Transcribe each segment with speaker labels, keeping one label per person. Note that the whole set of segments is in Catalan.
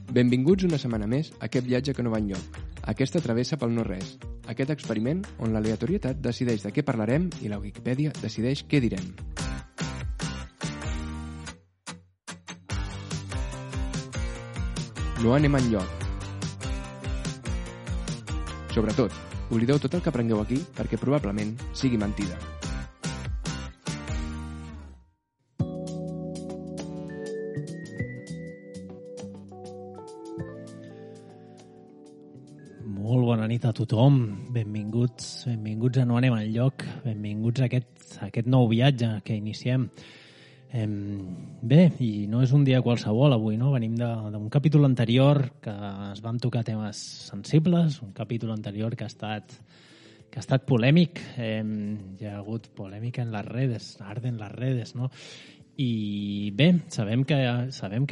Speaker 1: Benvinguts una setmana més a aquest viatge que no va enlloc, aquesta travessa pel no-res, aquest experiment on l'aleatorietat decideix de què parlarem i la Wikipedia decideix què direm. No anem enlloc. Sobretot, oblideu tot el que aprengueu aquí perquè probablement sigui mentida.
Speaker 2: Molt bona nit a tothom, benvinguts a No anem enlloc, benvinguts a aquest nou viatge que iniciem. Bé, i no és un dia qualsevol avui, no? Venim d'un capítol anterior que es van tocar temes sensibles, un capítol anterior que ha estat polèmic, hi ha hagut polèmica en les redes, arden les redes, no? I bé, sabem que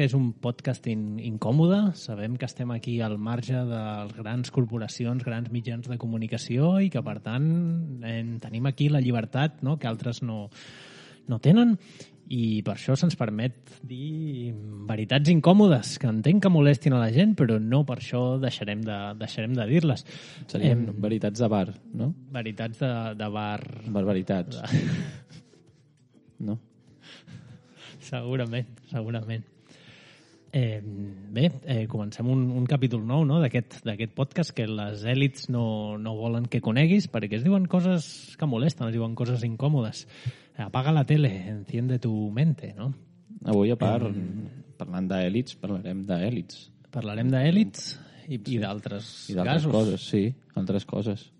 Speaker 2: és un podcast incòmode, sabem que estem aquí al marge de grans corporacions, grans mitjans de comunicació i que, per tant, tenim aquí la llibertat, no?, que altres no tenen, i per això se'ns permet dir veritats incòmodes, que entenc que molestin a la gent, però no per això deixarem de dir-les.
Speaker 3: Serien veritats de bar, no?
Speaker 2: Veritats de bar.
Speaker 3: Barbaritats. No?
Speaker 2: Segurament. Bé, comencem un capítol nou, no?, d'aquest podcast que les èlits no volen que coneguis perquè es diuen coses que molesten, es diuen coses incòmodes. Apaga la tele, enciende tu mente, no?
Speaker 3: Avui, a part, parlant d'èlits, parlarem d'èlits.
Speaker 2: Parlarem d'èlits i d'altres casos.
Speaker 3: Coses, sí, altres coses.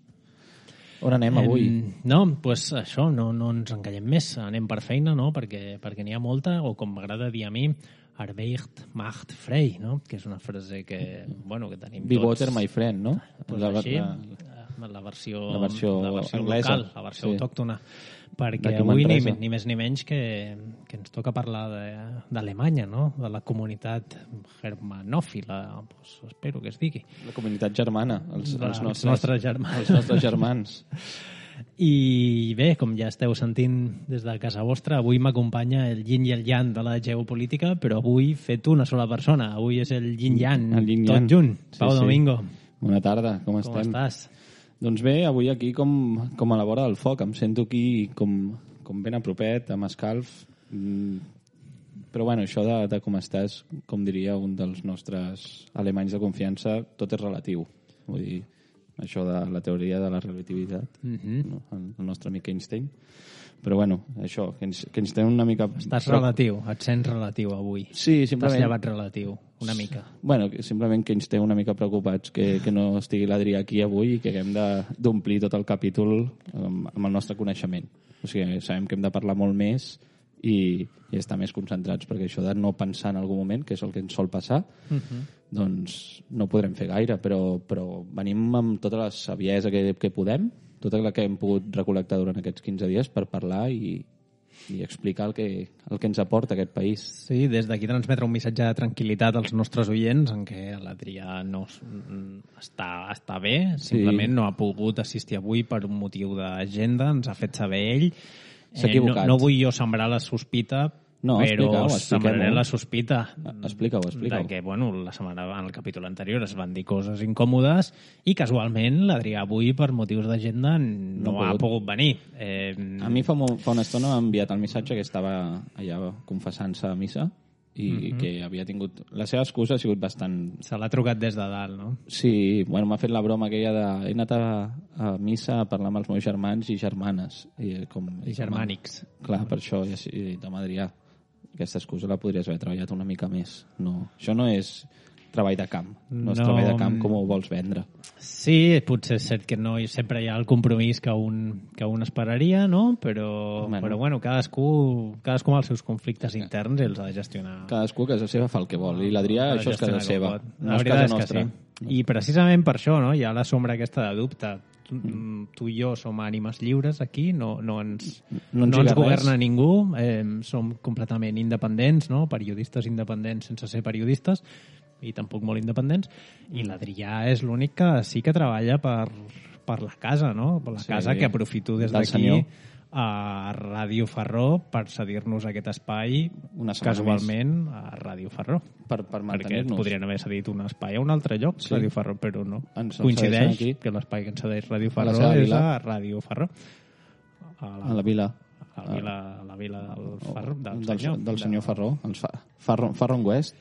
Speaker 3: On anem avui?
Speaker 2: No, doncs això, no ens encallem més, anem per feina, no?, perquè n'hi ha molta, o com m'agrada dir a mi, Arbeit macht frei, no?, que és una frase que tenim tots.
Speaker 3: Be water, my friend, no?
Speaker 2: Pues així, la versió
Speaker 3: anglesa,
Speaker 2: local, la versió autòctona. Perquè avui ni més ni menys que ens toca parlar d'Alemanya, no?, de la comunitat germanòfila, pues espero que es digui.
Speaker 3: La comunitat germana, els
Speaker 2: nostres germans.
Speaker 3: Els nostres germans.
Speaker 2: I bé, com ja esteu sentint des de casa vostra, avui m'acompanya el yin i el yang de la geopolítica, però avui fet una sola persona. Avui és el yin-yang, tot junt. Pau Domingo.
Speaker 3: Bona tarda, com estem?
Speaker 2: Com estàs?
Speaker 3: Doncs bé, avui aquí com a la vora del foc. Em sento aquí com ben a propet, amb escalf. Però bueno, això de com estàs, com diria un dels nostres alemanys de confiança, tot és relatiu. Vull dir, això de la teoria de la relativitat, no? El nostre amic Einstein. Però bueno, això, que ens té una mica...
Speaker 2: Estàs relatiu, et sents relatiu avui.
Speaker 3: Sí, simplement...
Speaker 2: T'has llevat relatiu, una mica.
Speaker 3: Bueno, simplement que ens té una mica preocupats que no estigui l'Adrià aquí avui i que haguem d'omplir tot el capítol amb el nostre coneixement. O sigui, sabem que hem de parlar molt més i estar més concentrats, perquè això de no pensar en algun moment, que és el que ens sol passar, doncs no podrem fer gaire, però venim amb tota la saviesa que podem, tota la que hem pogut recol·lectar durant aquests 15 dies per parlar i explicar el que ens aporta aquest país.
Speaker 2: Sí, des d'aquí transmetre un missatge de tranquil·litat als nostres oients en què l'Adrià no està bé, simplement no ha pogut assistir avui per un motiu d'agenda, ens ha fet saber ell.
Speaker 3: S'ha equivocat.
Speaker 2: No vull jo sembrar la sospita, però sembraré la sospita
Speaker 3: Explica-ho.
Speaker 2: De que, en el capítol anterior es van dir coses incòmodes i casualment l'Adrià avui, per motius d'agenda, no ha pogut venir.
Speaker 3: A mi fa una estona m'ha enviat el missatge que estava allà confessant-se a missa i que havia tingut... La seva excusa ha sigut bastant...
Speaker 2: Se l'ha trucat des de dalt, no?
Speaker 3: Sí, m'ha fet la broma aquella de... He anat a missa a parlar amb els meus germans i germanes. I
Speaker 2: germànics.
Speaker 3: Clar, per això he dit, home, Adrià, aquesta excusa la podries haver treballat una mica més. No, això no és treball de camp. No és treball de camp com ho vols vendre.
Speaker 2: Sí, potser és cert que no sempre hi ha el compromís que un esperaria, no? Però cadascú amb els seus conflictes interns els ha de gestionar.
Speaker 3: Cadascú a casa seva fa el que vol. I l'Adrià, això és casa seva. No és casa nostra.
Speaker 2: Sí. I precisament per això, no? Hi ha la sombra aquesta de dubte. Tu i jo som ànimes lliures aquí, no ens governa ningú, som completament independents, no? Periodistes independents sense ser periodistes, i tampoc molt independents, i l'Adrià és l'únic que sí que treballa per la casa, no? Per la casa, que aprofito des d'aquí a Ràdio Ferró per cedir-nos aquest espai
Speaker 3: Una setmana
Speaker 2: casualment a Ràdio Ferró.
Speaker 3: Per
Speaker 2: Perquè
Speaker 3: mantenir-nos.
Speaker 2: podrien haver cedit un espai a un altre lloc,
Speaker 3: Sí.
Speaker 2: Ràdio Ferró, però no.
Speaker 3: Ens
Speaker 2: Coincideix
Speaker 3: cedeixen aquí.
Speaker 2: que l'espai que ens cedeix Ràdio
Speaker 3: A la
Speaker 2: Ferró
Speaker 3: seva
Speaker 2: és
Speaker 3: vila.
Speaker 2: a Ràdio Ferró.
Speaker 3: A la vila.
Speaker 2: A la vila del Ferró,
Speaker 3: Del senyor Ferró. Ferron West.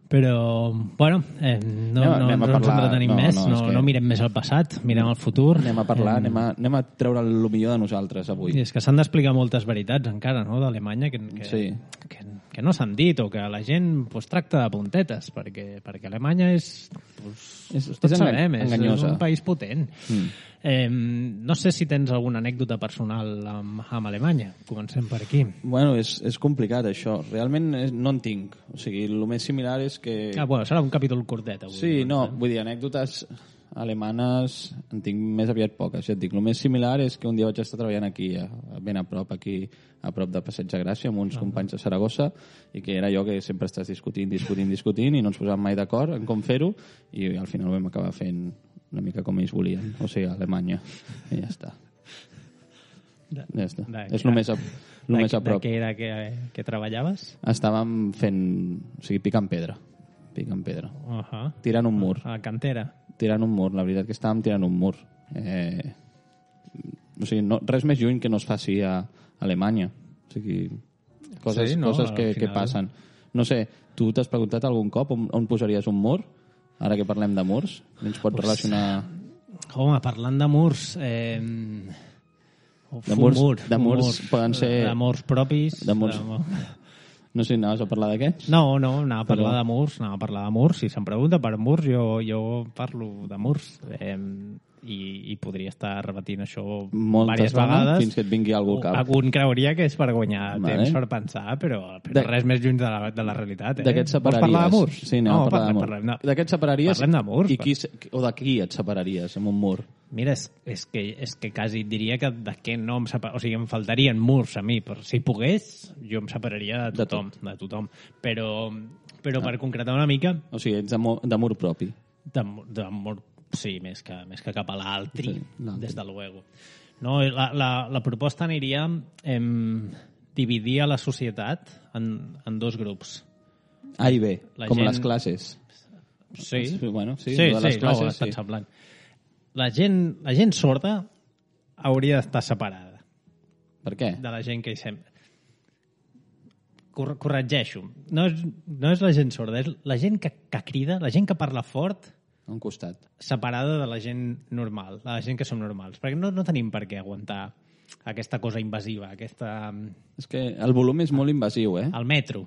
Speaker 2: Però, bueno, no
Speaker 3: Anem a
Speaker 2: ens
Speaker 3: parlar-
Speaker 2: entretenim
Speaker 3: no,
Speaker 2: més,
Speaker 3: no, és que-
Speaker 2: no mirem més al passat, mirem al futur.
Speaker 3: Anem a parlar, anem a treure el millor de nosaltres avui.
Speaker 2: I és que s'han d'explicar moltes veritats encara, no?, d'Alemanya,
Speaker 3: Sí.
Speaker 2: que no s'han dit, o que la gent pues, tracta de puntetes, perquè Alemanya és... Pues, tots sabem, és
Speaker 3: enganyosa.
Speaker 2: un país potent. No sé si tens alguna anècdota personal amb Alemanya. Comencem per aquí.
Speaker 3: Bueno, és complicat, això. Realment no en tinc. O sigui, el més similar és que...
Speaker 2: Bueno, serà un capítol curtet, avui.
Speaker 3: Sí, no, vull dir, anècdotes alemanes en tinc més aviat poques, ja et dic. El més similar és que un dia vaig estar treballant aquí, ben a prop, aquí, a prop de Passeig de Gràcia, amb uns companys de Saragossa, i que era allò que sempre estàs discutint, i no ens posàvem mai d'acord en com fer-ho, i al final vam acabar fent una mica com ells volien, o sigui, a Alemanya, i ja està. Ja està. És el més a prop.
Speaker 2: De què era que treballaves?
Speaker 3: Estàvem fent, o sigui, picant pedra. Tirant un mur.
Speaker 2: A la cantera.
Speaker 3: Tirant un mur, la veritat que estàvem tirant un mur. O sigui, res més lluny que no es faci a Alemanya. O sigui, coses que passen. No sé, tu t'has preguntat algun cop on posaries un mur? Ara que parlem de murs, ens pot relacionar...
Speaker 2: Home, parlant de murs...
Speaker 3: De murs poden ser...
Speaker 2: De murs propis...
Speaker 3: De murs... No sé, anaves a parlar d'aquests?
Speaker 2: No, anava a parlar de murs. Si se'm pregunta per murs, jo parlo de murs. I podria estar repetint això diverses vegades.
Speaker 3: Fins que et vingui algú al cap.
Speaker 2: Algun creuria que és per guanyar temps per pensar, però res més lluny de la realitat.
Speaker 3: D'aquests separaries?
Speaker 2: Vols parlar de murs?
Speaker 3: Sí, anem a parlar de murs. D'aquests separaries?
Speaker 2: Parlem de murs.
Speaker 3: O de qui et separaries amb un mur?
Speaker 2: Mira, és que quasi et diria que de què no em separaria. O sigui, em faltarien murs a mi. Per si pogués, jo em separaria de tothom. Però per concretar una mica...
Speaker 3: O sigui, ets de mur propi.
Speaker 2: De mur, sí, més que cap a l'altri,
Speaker 3: sí,
Speaker 2: des de luego. No, la proposta aniria dividir a la societat en dos grups.
Speaker 3: A i B, com les classes.
Speaker 2: Sí,
Speaker 3: bueno, sí,
Speaker 2: estan semblant. La gent sorda hauria d'estar separada.
Speaker 3: Per què?
Speaker 2: De la gent que hi sembla. Corregeixo. No és la gent sorda, és la gent que crida, la gent que parla fort,
Speaker 3: a un costat.
Speaker 2: Separada de la gent normal, de la gent que som normals. Perquè no tenim per què aguantar aquesta cosa invasiva, aquesta...
Speaker 3: És que el volum és molt invasiu, eh?
Speaker 2: El metro,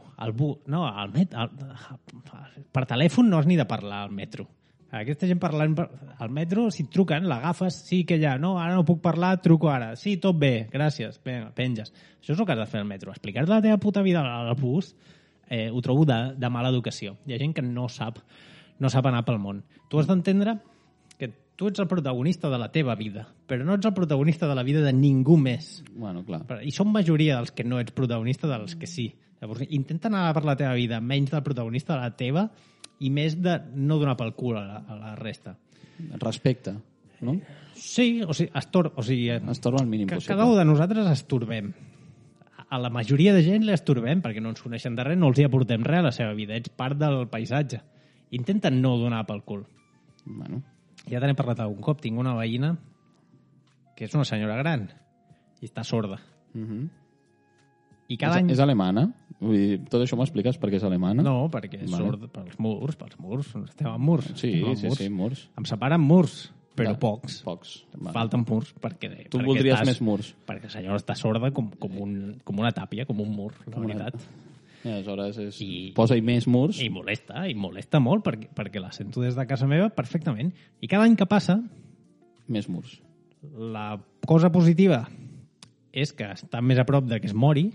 Speaker 2: per telèfon no has ni de parlar al metro. Aquesta gent parlant al metro, si et truquen, l'agafes, sí que ja, no, ara no puc parlar, truco ara. Sí, tot bé, gràcies, penges. Això és el que has de fer al metro. Explicar-te la teva puta vida al bus ho trobo de mala educació. Hi ha gent que no sap anar pel món. Tu has d'entendre que tu ets el protagonista de la teva vida, però no ets el protagonista de la vida de ningú més.
Speaker 3: Bueno, clar.
Speaker 2: I som majoria dels que no ets protagonista dels que sí. Llavors, intenta anar per la teva vida menys del protagonista de la teva i més de no donar pel cul a la resta.
Speaker 3: Respecte, no?
Speaker 2: Sí, o sigui,
Speaker 3: estorba al mínim possible.
Speaker 2: Cada un de nosaltres estorbem. A la majoria de gent l'estorbem perquè no ens coneixen de res, no els hi aportem res a la seva vida. Ets part del paisatge. Intenta no donar pel cul.
Speaker 3: Bueno.
Speaker 2: Ja te n'he parlat algun cop. Tinc una veïna que és una senyora gran i està sorda. I cada any...
Speaker 3: És alemana? Vull dir, tot això m'ho expliques perquè és alemana?
Speaker 2: No, perquè és sorda pels murs. Estem en murs.
Speaker 3: Sí, murs.
Speaker 2: Em separen murs, però pocs.
Speaker 3: Vale.
Speaker 2: Falten murs perquè...
Speaker 3: Tu voldries més murs?
Speaker 2: Perquè la senyora està sorda com una tàpia, com un mur, la veritat.
Speaker 3: I aleshores posa-hi més murs.
Speaker 2: I molesta molt perquè la sento des de casa meva perfectament. I cada any que passa...
Speaker 3: Més murs.
Speaker 2: La cosa positiva és que està més a prop de que es mori.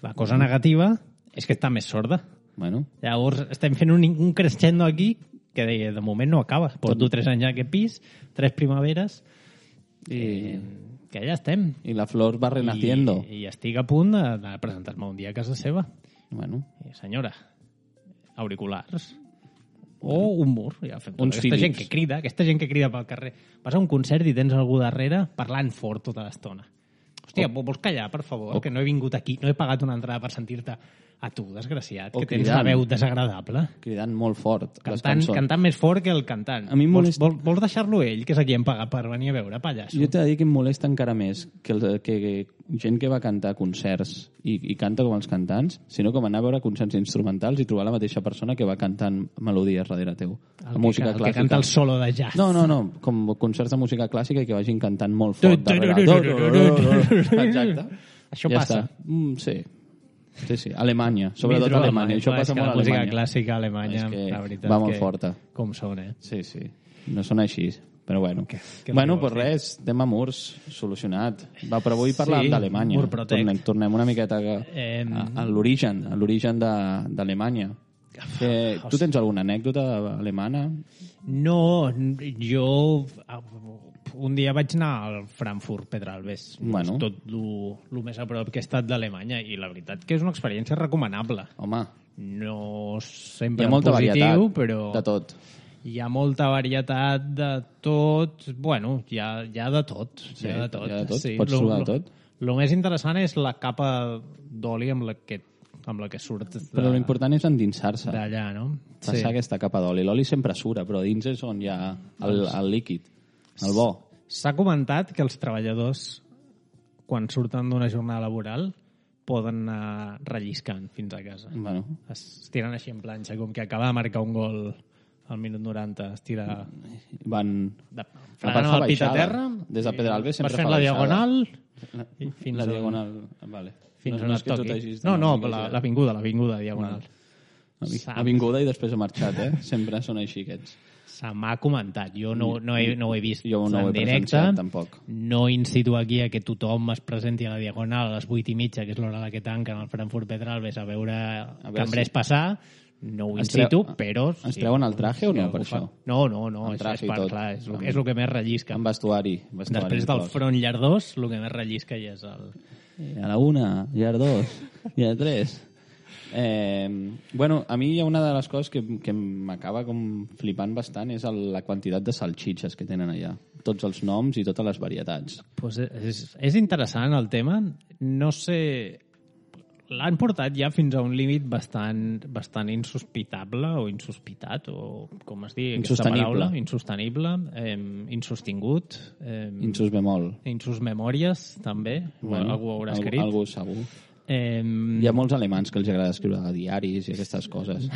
Speaker 2: La cosa negativa és que està més sorda.
Speaker 3: Bueno.
Speaker 2: Llavors estem fent un crescendo aquí que de moment no acaba. Porto 3 anys a aquest pis, 3 primaveres, i que ja estem.
Speaker 3: I la flor va renaciendo.
Speaker 2: I estic a punt de presentar-me un dia a casa seva.
Speaker 3: Bueno.
Speaker 2: Senyora, auriculars o un mur. Ja fem aquesta gent que crida pel carrer. Vas a un concert i tens algú darrere parlant fort tota l'estona. Hòstia, vols callar, per favor? Que no he vingut aquí, no he pagat una entrada per sentir-te a tu, desgraciat, que tens la veu desagradable.
Speaker 3: Cridant molt fort les
Speaker 2: Cantant
Speaker 3: cançons.
Speaker 2: més fort que el cantant.
Speaker 3: A mi em molesta...
Speaker 2: Vols deixar-lo ell, que és a qui hem pagat per venir a veure, pallasso?
Speaker 3: Jo t'he de dir que em molesta encara més que gent que va cantar a concerts i canta com els cantants, sinó com anar a veure concerts instrumentals i trobar la mateixa persona que va cantant melodies darrere teu.
Speaker 2: El que canta el solo de jazz.
Speaker 3: No, com concerts de música clàssica i que vagin cantant molt fort darrere. Exacte.
Speaker 2: Això passa.
Speaker 3: Sí, Alemanya, sobretot Alemanya. Això passa molt a Alemanya.
Speaker 2: La música clàssica alemanya, la veritat,
Speaker 3: va molt forta.
Speaker 2: Com són,
Speaker 3: Sí, no són així. Però bueno. Pues res, tema murs, solucionat. Va, però avui parlàvem d'Alemanya. Tornem una miqueta a l'origen d'Alemanya. Tu tens alguna anècdota alemana?
Speaker 2: No, jo un dia vaig anar al Frankfurt Pedralbes.
Speaker 3: Bueno.
Speaker 2: Tot el més a prop que he estat d'Alemanya, i la veritat que és una experiència recomanable.
Speaker 3: Home.
Speaker 2: No sempre
Speaker 3: hi ha molta
Speaker 2: positiu,
Speaker 3: varietat
Speaker 2: però
Speaker 3: de tot.
Speaker 2: Hi ha molta varietat de tot. Bueno, hi ha de tot.
Speaker 3: Sí,
Speaker 2: hi ha de tot.
Speaker 3: Hi ha de tot.
Speaker 2: Sí,
Speaker 3: Pots trobar de tot.
Speaker 2: El més interessant és la capa d'oli amb la que surt.
Speaker 3: Però l'important és endinsar-se.
Speaker 2: D'allà, no?
Speaker 3: Passar aquesta capa d'oli. L'oli sempre sura, però dins és on hi ha el líquid, el bo.
Speaker 2: S'ha comentat que els treballadors, quan surten d'una jornada laboral, poden anar relliscant fins a casa.
Speaker 3: Bueno.
Speaker 2: Es tiren així en planxa, com que acaba de marcar un gol al minut 90. Es tira...
Speaker 3: Van...
Speaker 2: Fregant el pit a terra.
Speaker 3: Des de Pedralbes sempre
Speaker 2: fa la diagonal.
Speaker 3: La diagonal, vale.
Speaker 2: Fins on et toqui. No, l'avinguda diagonal.
Speaker 3: Avinguda i després ha marxat, Sempre són així aquests.
Speaker 2: Se m'ha comentat. Jo no ho he vist
Speaker 3: en
Speaker 2: directe.
Speaker 3: Tampoc.
Speaker 2: No incito aquí a que tothom es presenti a la diagonal a les 8:30, que és l'hora a la que tanquen el Frankfurt Pedralbes, a veure cambrers passar. No ho incito, però...
Speaker 3: Ens treuen el traje o no, per això?
Speaker 2: No, és el que més rellisca.
Speaker 3: Amb vestuari.
Speaker 2: Després del front llardós, el que més rellisca ja és el...
Speaker 3: A la 1, i a 2, i a 3... a mi hi ha una de les coses que m'acaba com flipant bastant és la quantitat de salxitxes que tenen allà. Tots els noms i totes les varietats.
Speaker 2: Pues és interessant el tema. No sé... L'han portat ja fins a un límit bastant insospitable o insospitat, o com es digui aquesta paraula. Insostenible. Insostingut.
Speaker 3: Insusbemol.
Speaker 2: Insusmemòries, també. Algú ho haurà escrit.
Speaker 3: Algú segur. Hi ha molts alemans que els agrada escriure diaris i aquestes coses.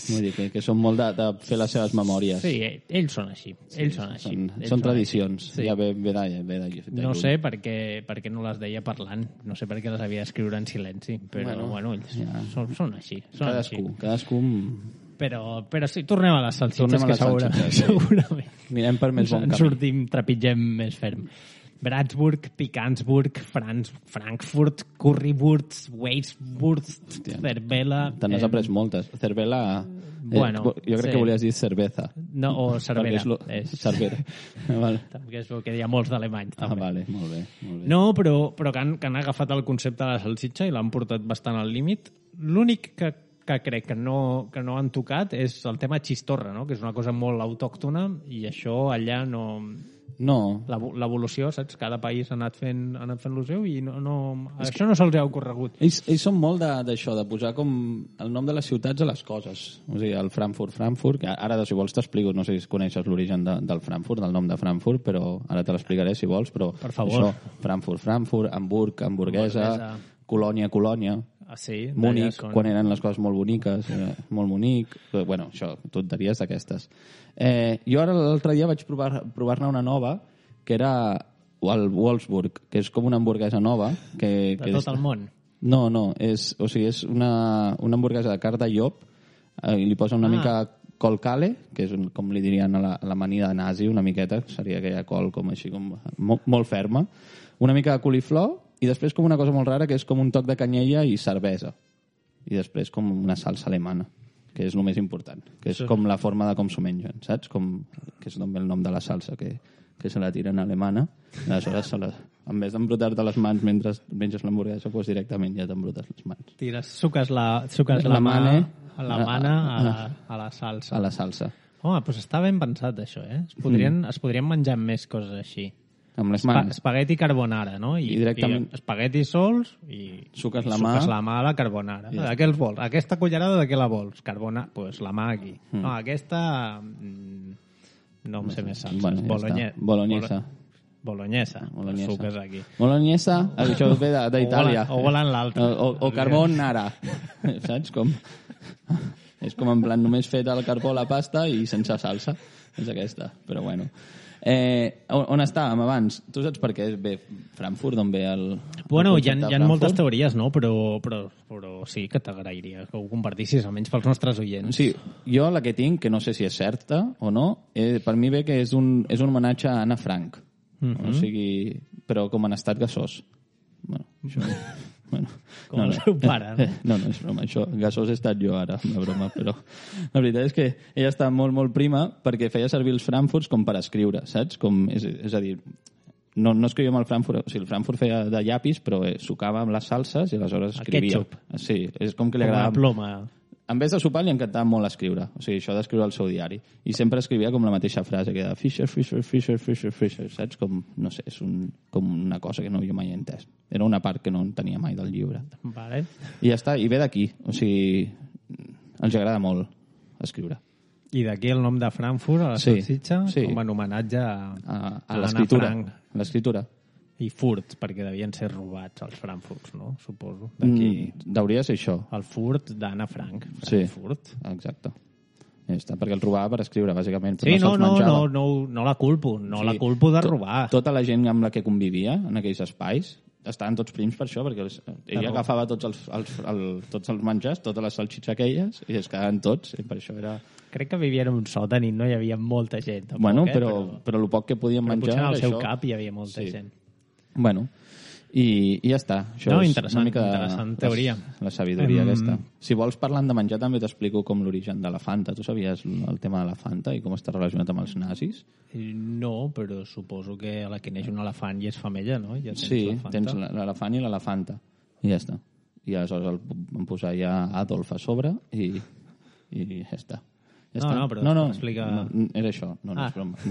Speaker 3: Vull dir que són molt de fer les seves memòries.
Speaker 2: Sí, ells són així.
Speaker 3: Són tradicions. Sí. Ja ve de
Speaker 2: no sé per què no les deia parlant. No sé per què les havia d'escriure en silenci. Però ells són així.
Speaker 3: Cadascú...
Speaker 2: Però sí, tornem a les salsitxes, que segurament.
Speaker 3: Anirem per més bon camí.
Speaker 2: Sortim, trepitgem més ferm. Bratsburg, Picansburg, Frankfurt, Currywurst, Weiswurst, Cervela...
Speaker 3: Te n'has après moltes. Cervela... jo crec que volies dir cerveza.
Speaker 2: No, o cervera.
Speaker 3: Cervera. Vale.
Speaker 2: Que és el que hi ha molts d'alemanys.
Speaker 3: Vale, molt bé.
Speaker 2: No, però que han agafat el concepte de la salsitxa i l'han portat bastant al límit. L'únic que crec que no han tocat és el tema xistorra, no? Que és una cosa molt autòctona i això allà no...
Speaker 3: No.
Speaker 2: L'evolució, saps? Cada país ha anat fent el seu i això no se'ls ha ocorregut.
Speaker 3: Ells són molt d'això, de posar com el nom de les ciutats a les coses. O sigui, el Frankfurt, que ara, si vols, t'explico, no sé si coneixes l'origen del Frankfurt, del nom de Frankfurt, però ara te l'explicaré si vols, però
Speaker 2: per favor.
Speaker 3: Això, Frankfurt, Hamburg, hamburguesa, Colònia,
Speaker 2: sí,
Speaker 3: Múnich, quan eren les coses molt boniques, molt bonic, bueno, això, tonteries d'aquestes. Jo ara l'altre dia vaig provar-ne una nova, que era el Wolfsburg, que és com una hamburguesa nova. De
Speaker 2: tot el món?
Speaker 3: No, és una hamburguesa de carn de llop, i li posa una mica col-cale, que és com li dirien a l'amanida nazi, una miqueta, seria aquella col com així, com molt ferma, una mica de coliflor, i després com una cosa molt rara, que és com un toc de canyella i cervesa. I després com una salsa alemana, que és el més important, que és com la forma de com s'ho mengen, saps? Que és el nom de la salsa, que se la tiren alemana. Aleshores, en vez d'embrutar-te les mans mentre menges l'hamburguesa, doncs directament ja t'embrutes les mans.
Speaker 2: Suques la mà a la salsa.
Speaker 3: A la salsa.
Speaker 2: Home, doncs està ben pensat, això, Es podrien menjar més coses així.
Speaker 3: amb les mans.
Speaker 2: Espagueti carbonara, no?
Speaker 3: I directament...
Speaker 2: I espaguetis sols i
Speaker 3: suques la
Speaker 2: mà a la carbonara. De què els vols? Aquesta cullerada de què la vols? Carbonara, pues la mà aquí. No, aquesta... no em sé més salses.
Speaker 3: Bueno, Bolognesa.
Speaker 2: Bolognesa. Suques aquí.
Speaker 3: Bolognesa, això ve d'Itàlia.
Speaker 2: O volen l'altre.
Speaker 3: O carbonara. Saps com? És com en plan només fet al carbó la pasta i sense salsa. És aquesta, però bueno. On estàvem abans? Tu saps per què ve Frankfurt, d'on ve el
Speaker 2: Bueno, hi ha moltes teories, no? Però sí que t'agrairia que ho compartissis, almenys pels nostres oients.
Speaker 3: Sí, jo la que tinc, que no sé si és certa o no, per mi ve que és un homenatge a Anna Frank. O sigui, però com en estat gasós. Bueno, això... Bueno,
Speaker 2: com el seu pare.
Speaker 3: No, és broma. Això, gasós he estat jo ara, una broma, però la veritat és que ella està molt, molt prima perquè feia servir els Frankfurts com per escriure, saps? És a dir, no escrivia amb el Frankfurt, o sigui, el Frankfurt feia de llapis, però sucava amb les salses i aleshores escrivia.
Speaker 2: El ketchup.
Speaker 3: Sí, és com que li agradava...
Speaker 2: Com una ploma.
Speaker 3: En vez de sopar li encantava molt escriure, o sigui, això d'escriure al seu diari. I sempre escrivia com la mateixa frase, que era Fisher, saps? Com, no sé, és com una cosa que no jo mai he entès. Era una part que no tenia mai del llibre.
Speaker 2: Vale.
Speaker 3: I ja està, i ve d'aquí, o sigui, els agrada molt escriure.
Speaker 2: I d'aquí el nom de Frankfurt, a la salsitxa, com en homenatge a
Speaker 3: l'escritura.
Speaker 2: L'escritura. I furt, perquè devien ser robats els Frankfurts, no? Suposo. D'aquí...
Speaker 3: Hauria de ser això.
Speaker 2: El furt d'Anna Frank.
Speaker 3: Frankfurt. Sí, exacte. Ja està, perquè el robava per escriure, bàsicament.
Speaker 2: Sí, no la culpo. La culpo de robar.
Speaker 3: Tota la gent amb la que convivia en aquells espais estaven tots prims per això, perquè ella agafava tots els menjars, totes les salsitxes aquelles, i es quedaven tots, i per això era...
Speaker 2: Crec que vivien en un sòtan i no hi havia molta gent. Tampoc,
Speaker 3: bueno, però el poc que podien menjar...
Speaker 2: Potser en el seu cap hi havia molta gent.
Speaker 3: Bueno, i ja està. Això és una mica
Speaker 2: interessant teoria.
Speaker 3: La sabidoria aquesta. Si vols, parlant de menjar, també t'explico com l'origen de la Fanta. Tu sabies el tema de la Fanta i com està relacionat amb els nazis?
Speaker 2: No, però suposo que a la que neix un elefant i és femella, no? Ja
Speaker 3: tens l'elefant i l'elefanta. I ja està. I aleshores van posar ja Adolf a sobre i ja està.
Speaker 2: No, explica...
Speaker 3: Era això. No és broma.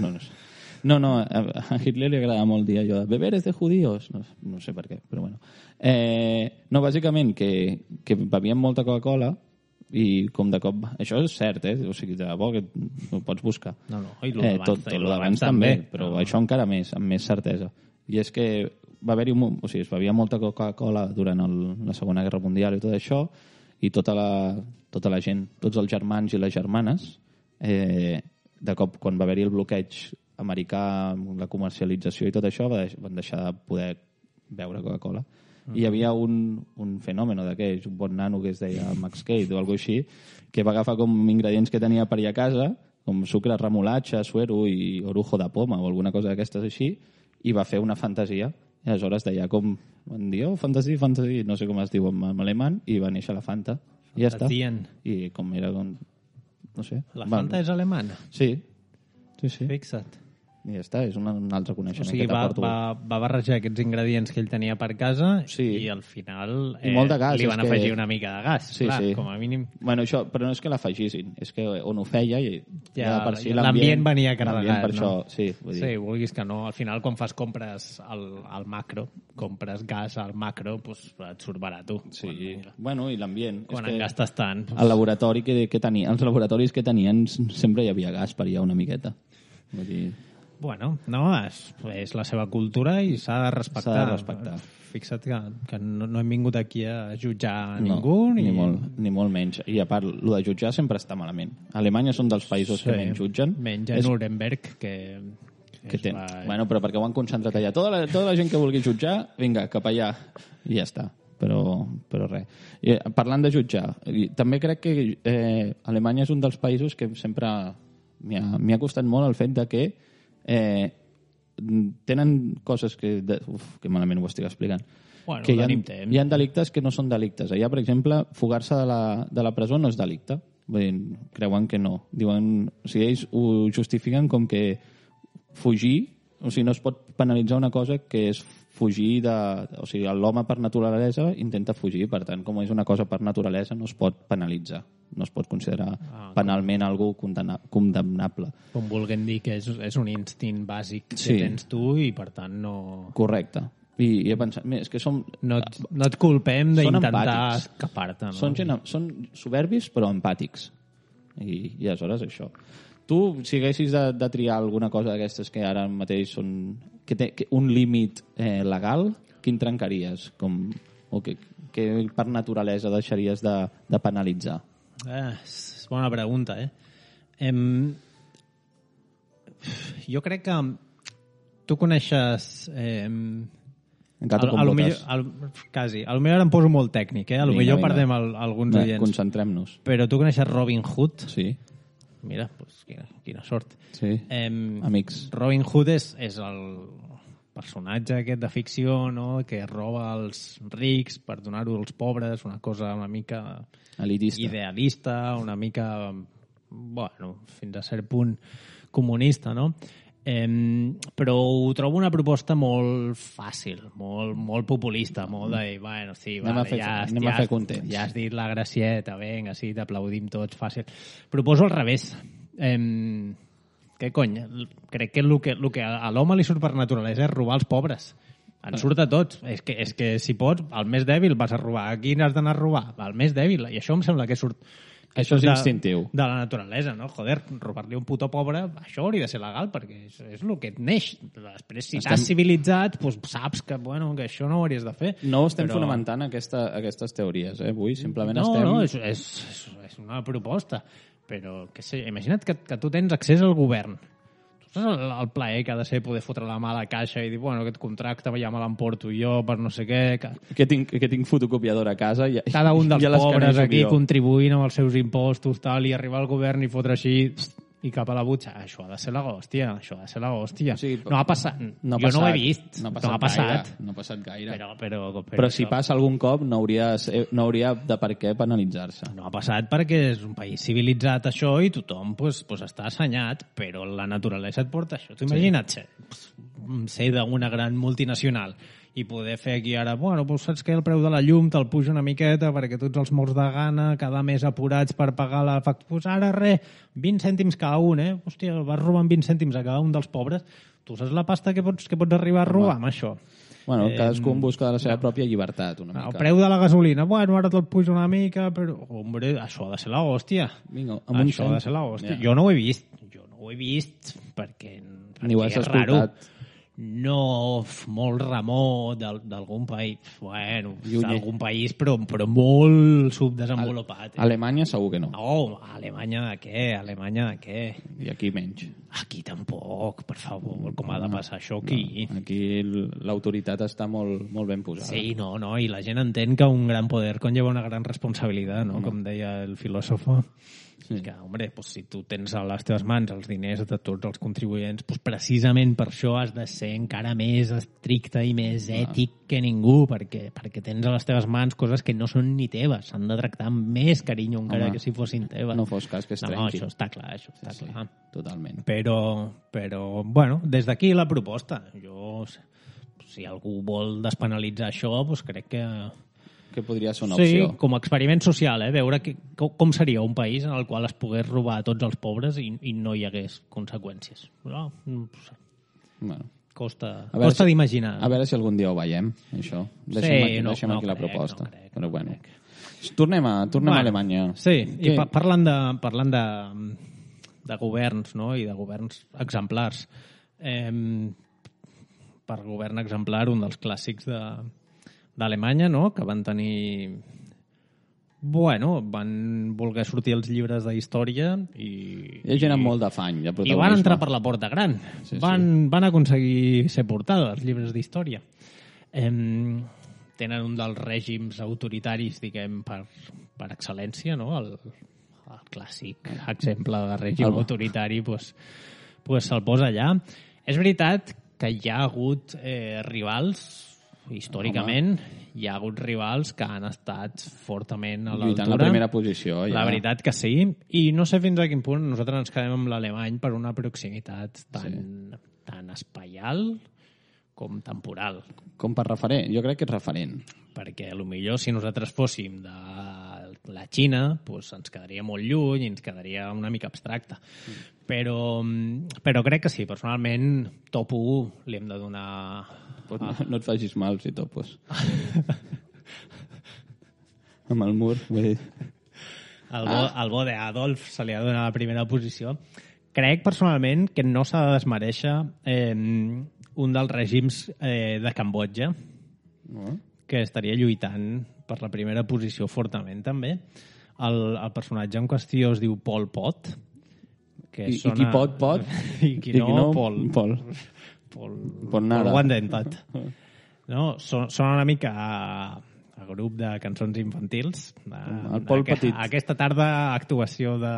Speaker 3: No, a Hitler li agrada molt dir allò de beber és de judíos. No sé per què, però bueno. No, bàsicament, que bevien molta Coca-Cola i com de cop... Això és cert, O sigui, de bo que ho pots buscar.
Speaker 2: No, i tot
Speaker 3: l'abans també, però això encara més, amb més certesa. I és que va haver-hi... O sigui, es bevia molta Coca-Cola durant la Segona Guerra Mundial i tot això, i tota la gent, tots els germans i les germanes, de cop, quan va haver-hi el bloqueig americà, la comercialització i tot això, van deixar de poder beure Coca-Cola. I hi havia un fenomen d'aquells, un bon nano que es deia Max Cade o alguna així, que va agafar com ingredients que tenia per allà a casa, com sucre, remolatge, suero i orujo de poma o alguna cosa d'aquestes així, i va fer una fantasia. I aleshores deia com, van dir, fantasy, no sé com es diu en alemany, i va néixer la Fanta. I ja està. I com era, no sé.
Speaker 2: La Fanta és alemana?
Speaker 3: Sí.
Speaker 2: Fixa't.
Speaker 3: I ja està, és un altre coneixement.
Speaker 2: O sigui, va barrejar aquests ingredients que ell tenia per casa i al final
Speaker 3: molt de gas,
Speaker 2: li van afegir una mica de gas. Clar, com a mínim.
Speaker 3: Bueno, això, però no és que l'afegissin, és que on ho feia i per si
Speaker 2: l'ambient venia carregat.
Speaker 3: Per això, vull dir.
Speaker 2: Sí, vulguis que no. Al final, quan fas compres al macro, compres gas al macro, doncs et surt barat.
Speaker 3: Sí, bueno, i l'ambient.
Speaker 2: Quan en gastes tant.
Speaker 3: El laboratori que tenia, els laboratoris que tenien sempre hi havia gas per allà una miqueta. Vull dir...
Speaker 2: Bueno, no, és la seva cultura i s'ha de respectar.
Speaker 3: S'ha de respectar.
Speaker 2: Fixa't que no hem vingut aquí a jutjar ningú.
Speaker 3: Ni molt menys. I a part, el de jutjar sempre està malament. Alemanya són dels països que menys jutgen.
Speaker 2: Menys a Nuremberg, que
Speaker 3: Bueno, però perquè ho han concentrat allà. Tota la gent que vulgui jutjar, vinga, cap allà. I ja està. Però res. I, parlant de jutjar, també crec que Alemanya és un dels països que sempre m'ha costat molt el fet de que tenen coses que malament ho estic explicant.
Speaker 2: Bueno,
Speaker 3: que hi ha delictes que no són delictes. Allà, per exemple, fugar-se de la presó no és delicte. Vull dir, creuen que no. Diuen, o sigui, ells ho justifiquen com que fugir O sigui, no es pot penalitzar una cosa que és fugir de... O sigui, l'home per naturalesa intenta fugir, per tant, com és una cosa per naturalesa, no es pot penalitzar. No es pot considerar penalment algú condemnable.
Speaker 2: Com vulguem dir que és un instint bàsic que tens tu i, per tant, no...
Speaker 3: Correcte. I he pensat, és que som...
Speaker 2: No et culpem d'intentar escapar-te. No?
Speaker 3: Són soberbis, però empàtics. I aleshores això. Tu, si haguessis de triar alguna cosa d'aquestes que ara mateix són... que un límit legal, quin trencaries? O que per naturalesa deixaries de penalitzar?
Speaker 2: És bona pregunta, jo crec que tu coneixes... quasi. A lo millor em poso molt tècnic, A lo millor perdem alguns oients.
Speaker 3: Concentrem-nos.
Speaker 2: Però tu coneixes Robin Hood?
Speaker 3: Sí.
Speaker 2: Mira, pues, quina sort.
Speaker 3: Sí, amics.
Speaker 2: Robin Hood és el personatge aquest de ficció, no?, que roba als rics per donar-ho als pobres, una cosa una mica
Speaker 3: elitista,
Speaker 2: idealista, una mica, bueno, fins a cert punt comunista, no? Però ho trobo una proposta molt fàcil, molt populista, molt de dir, bueno, sí,
Speaker 3: anem a fer contents.
Speaker 2: Ja has dit la gracieta, vinga, sí, t'aplaudim tots, fàcil. Proposo al revés. Què cony? Crec que el que a l'home li surt per naturalesa és robar els pobres. En surt a tots. És que si pots, el més dèbil vas a robar. A qui n'has d'anar a robar? El més dèbil. I això em sembla que surt...
Speaker 3: Això és instintiu.
Speaker 2: De la naturalesa, no? Joder, robar-li un puto pobre, això hauria de ser legal, perquè és el que et neix. Després, si t'has civilitzat, doncs saps que això no ho hauries de fer.
Speaker 3: No estem fonamentant aquestes teories, avui. Simplement
Speaker 2: No, és una proposta. Però, què sé, imagina't que tu tens accés al govern. Tu saps el plaer que ha de ser poder fotre la mà a la caixa i dir, bueno, aquest contracte ja me l'emporto jo per no sé què...
Speaker 3: Que tinc fotocopiadora a casa.
Speaker 2: Cada un dels pobres aquí contribuint amb els seus impostos tal, i arribar al govern i fotre així i cap a la butxa. Això ha de ser la hòstia, O sigui, no ha passat. Jo no ho he vist. No ha passat.
Speaker 3: No ha passat gaire.
Speaker 2: Però
Speaker 3: si passa algun cop no hauria de per què penalitzar-se.
Speaker 2: No ha passat perquè és un país civilitzat això i tothom pues està assenyat, però la naturalesa et porta això. Tu imagina't ser d'una gran multinacional i poder fer aquí ara, bueno, doncs saps que el preu de la llum te'l puja una miqueta perquè tots els morts de gana, cada mes apurats per pagar la factura, doncs ara 20 cèntims cada un, Hòstia, vas robant 20 cèntims a cada un dels pobres, tu saps la pasta que pots arribar a robar amb això?
Speaker 3: Bueno, cadascú en busca de la seva pròpia llibertat, una mica.
Speaker 2: El preu de la gasolina, bueno, ara te'l puja una mica, però, hombre, això ha de ser la hòstia.
Speaker 3: Vinga,
Speaker 2: això ha de ser la hòstia. Jo no ho he vist, perquè
Speaker 3: ni ho has
Speaker 2: és
Speaker 3: escoltat.
Speaker 2: raro. No molt remot d'algun país, bueno, d'algun país, però molt subdesenvolupat.
Speaker 3: Alemanya segur que no.
Speaker 2: No, Alemanya de què?
Speaker 3: I aquí menys.
Speaker 2: Aquí tampoc, per favor, com ha de passar això aquí?
Speaker 3: No. Aquí l'autoritat està molt ben posada.
Speaker 2: Sí, no, i la gent entén que un gran poder conlleva una gran responsabilitat, no? Com deia el filòsofo. Sí. Que, hombre, pues, si tu tens a les teves mans els diners de tots els contribuents, pues, precisament per això has de ser encara més estricte i més ètic que ningú, perquè tens a les teves mans coses que no són ni teves, s'han de tractar amb més carinyo encara que si fossin teves.
Speaker 3: No fos cas que es trenqui.
Speaker 2: No, això està clar. Sí,
Speaker 3: totalment.
Speaker 2: Però, bueno, des d'aquí la proposta. Si algú vol despenalitzar això, pues crec que
Speaker 3: podria ser una opció.
Speaker 2: Sí, com a experiment social, veure com seria un país en el qual es pogués robar a tots els pobres i no hi hagués conseqüències. No sé.
Speaker 3: Bueno.
Speaker 2: Costa d'imaginar.
Speaker 3: A veure si algun dia ho veiem, això. Deixem aquí la proposta. Però bueno. Tornem a Alemanya.
Speaker 2: Sí, i parlant de governs, no?, i de governs exemplars. Per govern exemplar, un dels clàssics d'Alemanya, no?, que van tenir... Bueno, van voler sortir els llibres d'història i...
Speaker 3: Hi ha gent amb molt d'afany de protagonisme.
Speaker 2: I van entrar per la porta gran. Van aconseguir ser portada, els llibres d'història. Tenen un dels règims autoritaris, diguem, per excel·lència, no?, el clàssic exemple de règim autoritari, pues se'l posa allà. És veritat que hi ha hagut rivals, històricament, hi ha hagut rivals que han estat fortament a l'altura.
Speaker 3: Lluitant la primera posició. Ja.
Speaker 2: La veritat que sí. I no sé fins a quin punt nosaltres ens quedem amb l'alemany per una proximitat tan tant espaial com temporal.
Speaker 3: Com per referent? Jo crec que és referent.
Speaker 2: Perquè potser si nosaltres fóssim de la Xina doncs ens quedaria molt lluny i ens quedaria una mica abstracte. Però crec que sí, personalment top 1 li hem de donar...
Speaker 3: No et facis mal si topos. Amb el mur, vull dir...
Speaker 2: El bo d'Adolf se li ha de donar la primera posició. Crec personalment que no s'ha de desmereixer un dels règims de Cambodja, que estaria lluitant per la primera posició fortament, també. El personatge en qüestió es diu Pol Pot. Que
Speaker 3: I qui pot.
Speaker 2: I qui no, Pol.
Speaker 3: Pol nada.
Speaker 2: Pol Wandentot. No? Són una mica a grup de cançons infantils.
Speaker 3: El Pol Petit.
Speaker 2: Aquesta tarda actuació de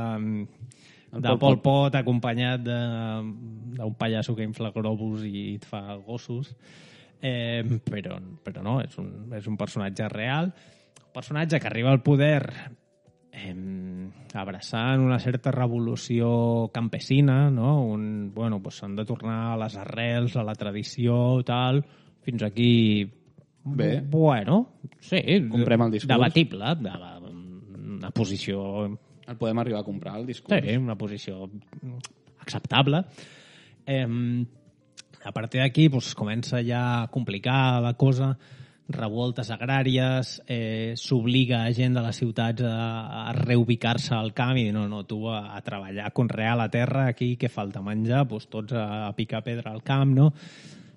Speaker 2: Pol Pot acompanyat d'un pallasso que infla globus i et fa gossos. Però no, és un personatge real, un personatge que arriba al poder abraçant una certa revolució campesina, no? S'han de tornar a les arrels, a la tradició, tal, fins aquí...
Speaker 3: Bé.
Speaker 2: Bueno, sí.
Speaker 3: Comprem el discurs.
Speaker 2: Debatible, una posició...
Speaker 3: El podem arribar a comprar, el discurs?
Speaker 2: Sí, una posició acceptable. A partir d'aquí comença ja a complicar la cosa, revoltes agràries, s'obliga a gent de les ciutats a reubicar-se al camp i dir, no, tu a treballar, a conrear la terra aquí, que falta menjar, tots a picar pedra al camp, no?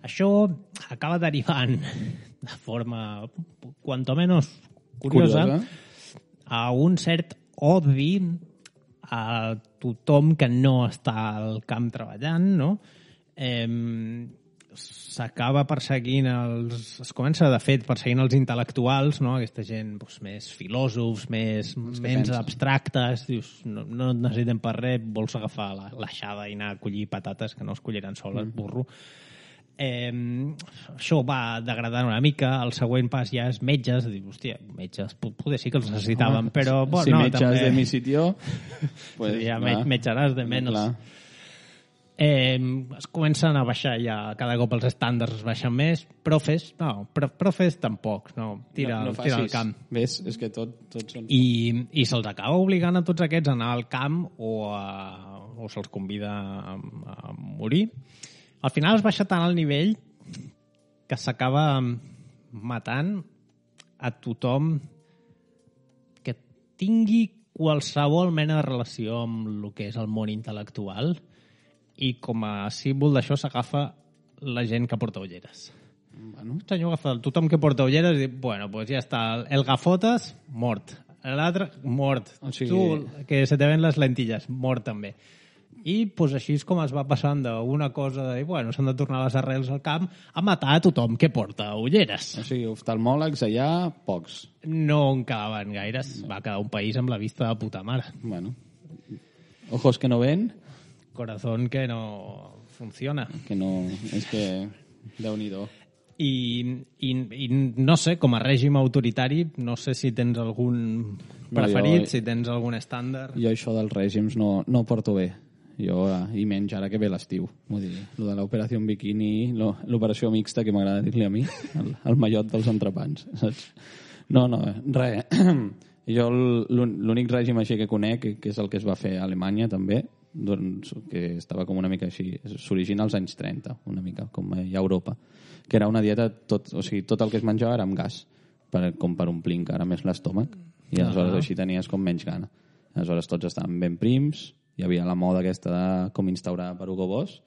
Speaker 2: Això acaba derivant de forma, cuanto menos curiosa, a un cert odi a tothom que no està al camp treballant, no? S'acaba perseguint es comença de fet perseguint els intel·lectuals, no? Aquesta gent més filòsofs, menys abstractes, dius, no et necessitem per res, vols agafar l'aixada i anar a collir patates que no es colliran soles, burro. Això va degradant una mica. El següent pas ja és metges. Dius, hòstia, metges, poder sí que els necessitaven, però...
Speaker 3: Si
Speaker 2: no,
Speaker 3: metges
Speaker 2: també...
Speaker 3: de mi sitio...
Speaker 2: Pues, ja metjaràs de menys. Es comencen a baixar ja, cada cop els estàndards es baixen més. Profes tampoc, no, tira al camp.
Speaker 3: Ves, és que tots són...
Speaker 2: I se'ls acaba obligant a tots aquests a anar al camp o se'ls convida a morir. Al final es baixa tant al nivell que s'acaba matant a tothom que tingui qualsevol mena de relació amb el que és el món intel·lectual, i com a símbol d'això s'agafa la gent que porta ulleres. El senyor agafa tothom que porta ulleres i diu, pues ja està, el gafotes, mort. L'altre, mort. O sigui... Tu, que se te ven les lentilles, mort també. I així és com es va passant d'una cosa de, s'han de tornar les arrels al camp, a matar a tothom que porta ulleres.
Speaker 3: O sigui, oftalmòlegs allà, pocs.
Speaker 2: No en quedaven gaires. Va quedar un país amb la vista de puta mare.
Speaker 3: Bueno. Ojos que no ven...
Speaker 2: Corazón que no funciona.
Speaker 3: Que no... És que... Déu-n'hi-do.
Speaker 2: I no sé, com a règim autoritari, no sé si tens algun preferit, si tens algun estàndard.
Speaker 3: Jo això dels règims no porto bé. Jo, i menys ara que ve l'estiu. Vull dir, lo de l'operació bikini, l'operació mixta, que m'agrada dir-li a mi, el mallot dels entrepans, saps? No, res. Jo l'únic règim així que conec, que és el que es va fer a Alemanya també, que estava com una mica així, s'origina als anys 30, una mica, com a Europa, que era una dieta, tot el que es menjava era amb gas, com per omplir encara més l'estómac, i aleshores així tenies com menys gana. Aleshores tots estaven ben prims, hi havia la moda aquesta de com instaurada per Hugo Boss,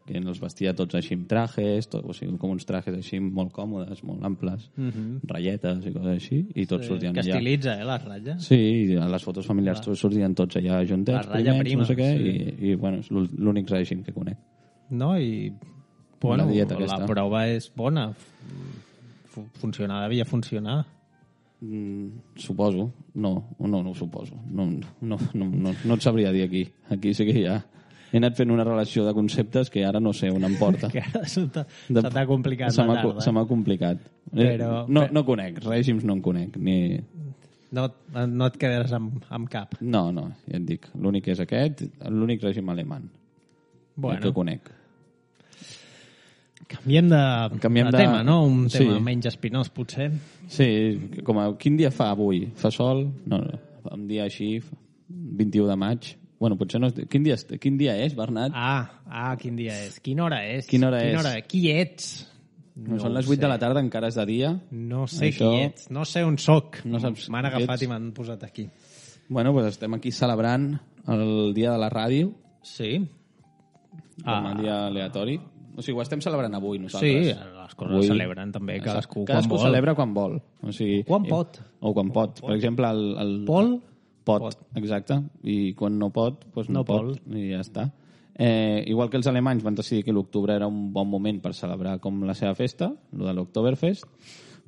Speaker 3: que els vestia tots així amb trajes, com uns trajes així molt còmodes, molt amples, ratlletes i coses així, i tots sortien allà.
Speaker 2: Que estilitza, les ratlles?
Speaker 3: Sí, i a les fotos familiars sortien tots allà juntets, primets, no sé què, i bueno, és l'únic règim que conec.
Speaker 2: No, i bueno, la prova és bona. Devia funcionar.
Speaker 3: Suposo. No ho suposo. No et sabria dir aquí. Aquí sí que ja he anat fent una relació de conceptes que ara no sé on em porta.
Speaker 2: Que ara se t'ha complicat la tarda.
Speaker 3: Se m'ha complicat. No conec, règims no en conec.
Speaker 2: No et quedaràs amb cap.
Speaker 3: No, ja et dic. L'únic és aquest, l'únic règim alemany. El que conec.
Speaker 2: Canviem de tema, no? Un tema
Speaker 3: sí.
Speaker 2: menys espinós, potser.
Speaker 3: Sí, com a... Quin dia fa avui? Fa sol? No, un dia així, 21 de maig. Bueno, potser no... Quin dia és, Bernat?
Speaker 2: Quin dia és? Quina hora és?
Speaker 3: Quina hora és?
Speaker 2: Qui ets?
Speaker 3: No són les 8 de la tarda, encara és de dia.
Speaker 2: No sé qui ets, no sé on soc.
Speaker 3: No saps
Speaker 2: m'han agafat i m'han posat aquí.
Speaker 3: Bueno, doncs estem aquí celebrant el dia de la ràdio.
Speaker 2: Sí.
Speaker 3: Com a dia aleatori. O sigui, ho estem celebrant avui, nosaltres.
Speaker 2: Sí, les coses es celebren també, cadascú quan vol.
Speaker 3: Cadascú celebra quan vol. O sigui,
Speaker 2: quan pot.
Speaker 3: O quan pot. Per exemple, el
Speaker 2: Pol?
Speaker 3: Pot, exacte. I quan no pot, doncs no pot. I ja està. Igual que els alemanys van decidir que l'octubre era un bon moment per celebrar com la seva festa, el de l'Oktoberfest,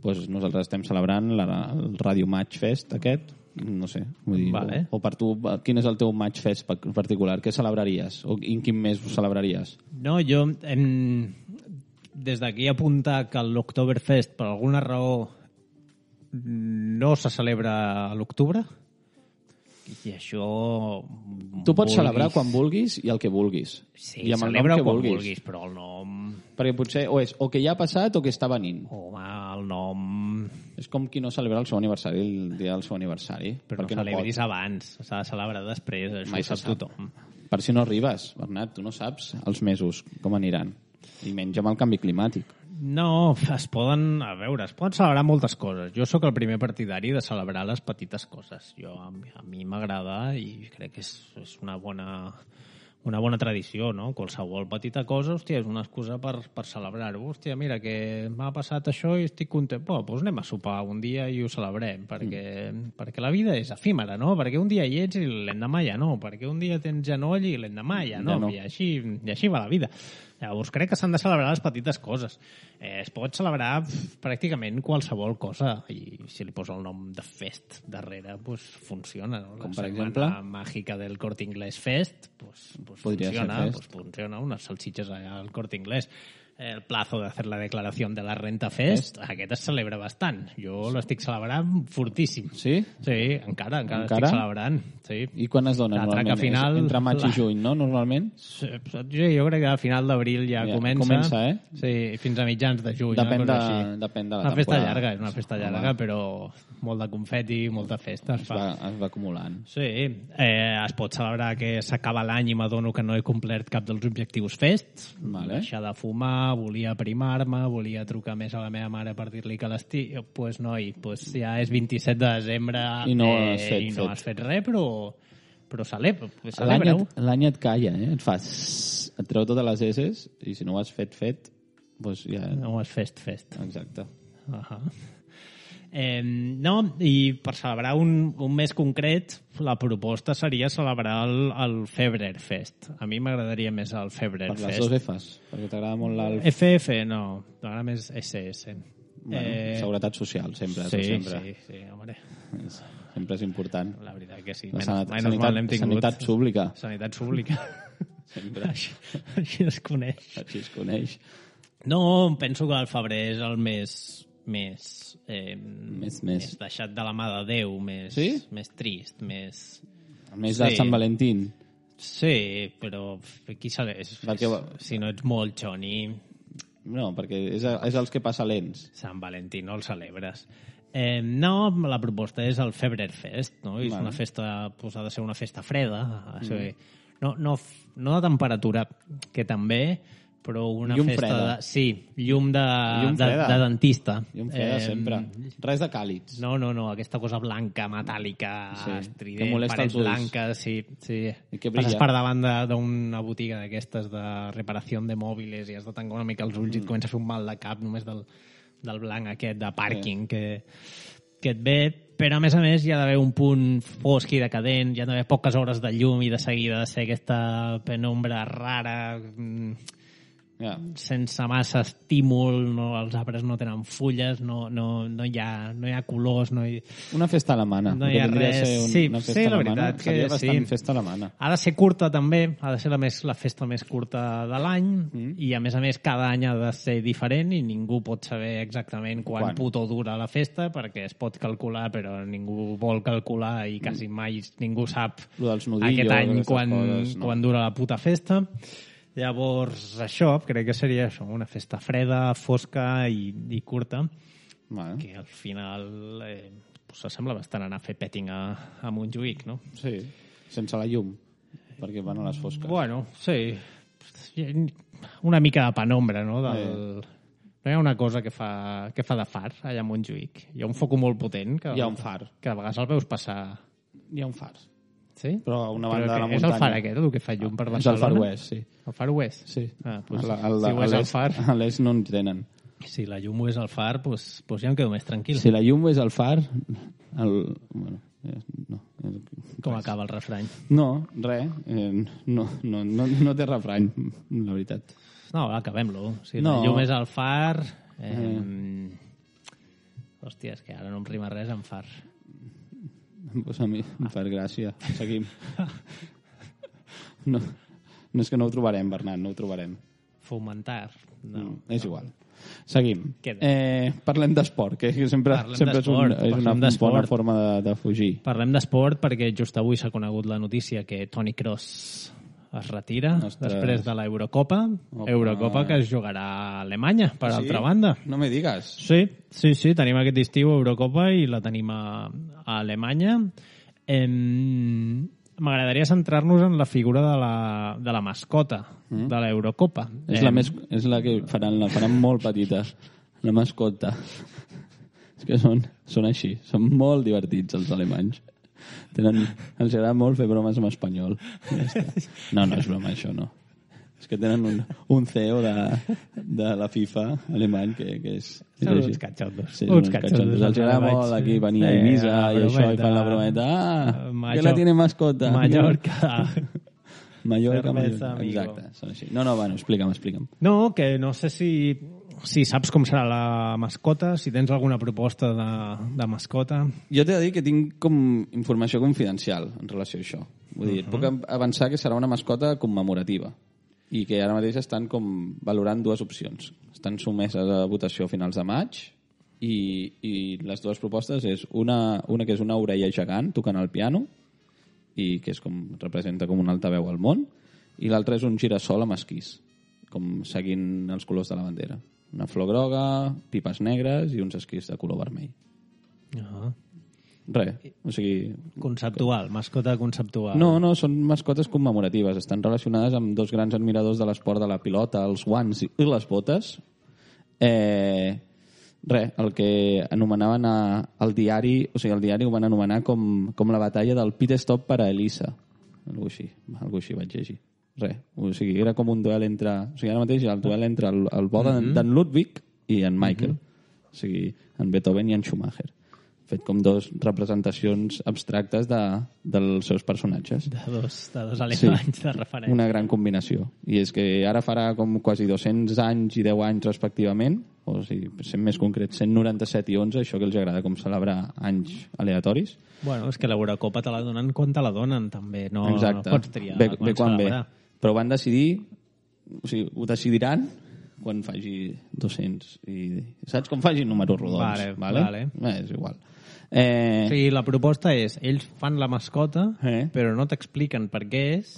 Speaker 3: doncs nosaltres estem celebrant el Radio Match Fest aquest, no sé, vull dir,
Speaker 2: vale.
Speaker 3: o per tu, quin és el teu Match Fest particular? Què celebraries? O en quin mes ho celebraries?
Speaker 2: No, jo des d'aquí apuntar que l'Oktoberfest per alguna raó no se celebra a l'octubre. I això...
Speaker 3: Tu pots celebrar quan vulguis i el que vulguis.
Speaker 2: Sí,
Speaker 3: i amb
Speaker 2: celebra
Speaker 3: el nom que
Speaker 2: quan vulguis, però el nom...
Speaker 3: Perquè potser o que ja ha passat o que està venint.
Speaker 2: Home, el nom...
Speaker 3: És com qui no celebra el seu aniversari, el dia del seu aniversari.
Speaker 2: Però no celebris abans, s'ha de celebrar després, això
Speaker 3: mai
Speaker 2: ho sap tothom.
Speaker 3: Per si no arribes, Bernat, tu no saps els mesos com aniran. I menys amb el canvi climàtic.
Speaker 2: No, es poden celebrar moltes coses. Jo sóc el primer partidari de celebrar les petites coses. A mi m'agrada i crec que és una bona tradició, no? Qualsevol petita cosa, hòstia, és una excusa per celebrar-ho. Hòstia, mira, que m'ha passat això i estic content. Doncs anem a sopar un dia i ho celebrem, perquè la vida és efímera, no? Perquè un dia hi ets i l'endemà ja no. Perquè un dia tens genoll i l'endemà ja no. I així va la vida. Llavors crec que s'han de celebrar les petites coses. Es pot celebrar pràcticament qualsevol cosa i si li posa el nom de Fest darrere, doncs funciona. No?
Speaker 3: Com per exemple?
Speaker 2: La màgica del Corte Inglés Fest, funciona. Unes salsitxes allà al Corte Inglés. El plazo de hacer la declaración de la renta Fest, aquest es celebra bastant. Jo l'estic celebrant fortíssim.
Speaker 3: Sí?
Speaker 2: Sí, encara estic celebrant. Sí.
Speaker 3: I quan es dona normalment?
Speaker 2: Final,
Speaker 3: entre maig i juny, no, normalment?
Speaker 2: Sí, jo crec que a final d'abril ja comença.
Speaker 3: Comença,
Speaker 2: Sí, fins a mitjans de juny.
Speaker 3: Depèn de la temporada.
Speaker 2: Una festa llarga, és una festa llarga, però molt de confeti, molta festa.
Speaker 3: Es va acumulant.
Speaker 2: Sí, es pot celebrar que s'acaba l'any i m'adono que no he complert cap dels objectius Fest.
Speaker 3: Vale.
Speaker 2: Deixar de fumar, volia aprimar-me, volia trucar més a la meva mare per dir-li que l'estic... Doncs noi, ja és 27 de desembre
Speaker 3: i no has
Speaker 2: fet res, però celebreu.
Speaker 3: L'any et calla, et fas... Et treu totes les esses i si no ho has fet, doncs ja...
Speaker 2: No ho has fet.
Speaker 3: Exacte.
Speaker 2: No, i per celebrar un mes concret, la proposta seria celebrar el Febrer-Fest. A mi m'agradaria més el Febrer-Fest.
Speaker 3: Per les dues Fs, perquè t'agrada molt l'Alf.
Speaker 2: FF, no, m'agrada més SS.
Speaker 3: Bueno, seguretat social, sempre.
Speaker 2: Sí, home.
Speaker 3: Sempre és important.
Speaker 2: La veritat que sí.
Speaker 3: Sanitat pública.
Speaker 2: Sanitat pública.
Speaker 3: Sempre.
Speaker 2: Així es coneix. No, penso que el febrer és el mes més deixat de la mà de Déu, més trist, més...
Speaker 3: Més de Sant Valentín.
Speaker 2: Sí, però qui segueix? Si no ets molt xoni...
Speaker 3: No, perquè és els que passa lents.
Speaker 2: Sant Valentí no el celebres. No, la proposta és el Febrer-Fest, no? És una festa, ha de ser una festa freda, no de temperatura, que també, però una
Speaker 3: llum
Speaker 2: festa
Speaker 3: freda.
Speaker 2: llum de dentista.
Speaker 3: Llum freda sempre. Res de càlids.
Speaker 2: No, aquesta cosa blanca, metàl·lica, estrident, parets blanques, sí.
Speaker 3: I que brilla.
Speaker 2: Passes per davant d'una botiga d'aquestes de reparació de mòbils i has de tancar una mica els ulls i et comença a fer un mal de cap només del blanc aquest de pàrquing que et ve, però a més hi ha d'haver un punt fosc i decadent, hi ha d'haver poques hores de llum i de seguida de ser aquesta penombra rara, sense massa estímul, els arbres no tenen fulles, no hi ha colors,
Speaker 3: una festa alemana.
Speaker 2: No hi ha res. Sí, la veritat que
Speaker 3: seria bastant festa alemana.
Speaker 2: Ha de ser curta també, ha de ser la festa més curta de l'any i a més cada any ha de ser diferent i ningú pot saber exactament quan puto dura la festa perquè es pot calcular però ningú vol calcular i quasi mai ningú sap aquest any quan dura la puta festa. Llavors, això crec que seria això, una festa freda, fosca i curta,
Speaker 3: Vale.
Speaker 2: que al final pues s'assembla bastant anar a fer petting a Montjuïc, no?
Speaker 3: Sí, sense la llum, perquè van a les fosques.
Speaker 2: Bueno, sí. Una mica de penombra, no? No hi ha una cosa que fa de far allà a Montjuïc. Hi ha un foc molt potent.
Speaker 3: Hi ha un far.
Speaker 2: Que a vegades el veus passar...
Speaker 3: Hi ha un far.
Speaker 2: Sí?
Speaker 3: Però a una banda de la
Speaker 2: És
Speaker 3: muntanya.
Speaker 2: el far aquest, el que fa llum per
Speaker 3: És el
Speaker 2: Barcelona?
Speaker 3: Far West, sí.
Speaker 2: El Far West?
Speaker 3: Sí.
Speaker 2: Pues,
Speaker 3: A
Speaker 2: si ho és el far...
Speaker 3: A l'est no en tenen.
Speaker 2: Si la llum ho és el far, pues ja em quedo més tranquil.
Speaker 3: Si la llum és el far... Bueno, no.
Speaker 2: Com acaba el refrany?
Speaker 3: No, res. No té refrany, la veritat.
Speaker 2: No, acabem-lo. Si
Speaker 3: No.
Speaker 2: la llum és el far... Hòstia, és que ara no em rima res amb far.
Speaker 3: Pues a mi em fa gràcia. Seguim. No és que no ho trobarem, Bernat, no ho trobarem.
Speaker 2: Fomentar. No.
Speaker 3: És igual. Seguim.
Speaker 2: Queda.
Speaker 3: Parlem d'esport, que sempre és una bona forma de fugir.
Speaker 2: Parlem d'esport perquè just avui s'ha conegut la notícia que Toni Kroos es retira després de l'Eurocopa. Eurocopa que es jugarà a Alemanya, per altra banda.
Speaker 3: No me digues.
Speaker 2: Sí, tenim aquest estiu Eurocopa i la tenim a Alemanya. M'agradaria centrar-nos en la figura de la mascota de l'Eurocopa.
Speaker 3: És la que la faran molt petita, la mascota. És que són així, són molt divertits els alemanys. Els agrada molt fer bromes en espanyol. No és broma, això no. És que tenen un CEO de la FIFA alemany que és
Speaker 2: són uns catxondos.
Speaker 3: Sí, uns catxondos. Els agrada molt aquí venir a Ibiza i això, i fan la brometa. Que la tiene mascota.
Speaker 2: Mallorca.
Speaker 3: Mallorca. Exacte, són així. No, bueno, explica'm.
Speaker 2: No, que no sé si saps com serà la mascota, si tens alguna proposta de mascota.
Speaker 3: Jo t'he de dir que tinc com informació confidencial en relació a això. Vull dir, puc avançar que serà una mascota commemorativa i que ara mateix estan com valorant dues opcions. Estan sotmeses a votació a finals de maig i les dues propostes és una que és una orella gegant tocant el piano i que és representa com un altaveu al món, i l'altra és un girassol amb esquís, com seguint els colors de la bandera. Una flor groga, pipes negres i uns esquís de color vermell. Res, o sigui...
Speaker 2: Conceptual, mascota conceptual.
Speaker 3: No, són mascotes commemoratives. Estan relacionades amb dos grans admiradors de l'esport de la pilota, els guants i les botes. El que anomenaven el diari, o sigui, el diari ho van anomenar com la batalla del pit stop per a Elisa. Algo així vaig llegir. O sigui, era com un duel entre... O sigui, ara mateix el duel entre el bo d'en Ludwig i en Michael. O sigui, en Beethoven i en Schumacher. Fet com dos representacions abstractes dels seus personatges.
Speaker 2: De dos alemanys de referència.
Speaker 3: Una gran combinació. I és que ara farà com quasi 200 anys i 10 anys respectivament, o sigui, sent més concret, 197 i 11, això que els agrada com celebrar anys aleatoris.
Speaker 2: Bueno, és que l'Eurocopa te la donen quan te la donen, també. No,
Speaker 3: exacte.
Speaker 2: No pots triar
Speaker 3: ve quan ve. Però van decidir, o sigui, ho decidiran quan faci 200 i... Saps? Com faci números rodons.
Speaker 2: Vale.
Speaker 3: És igual.
Speaker 2: O sigui, la proposta és, ells fan la mascota, però no t'expliquen per què és.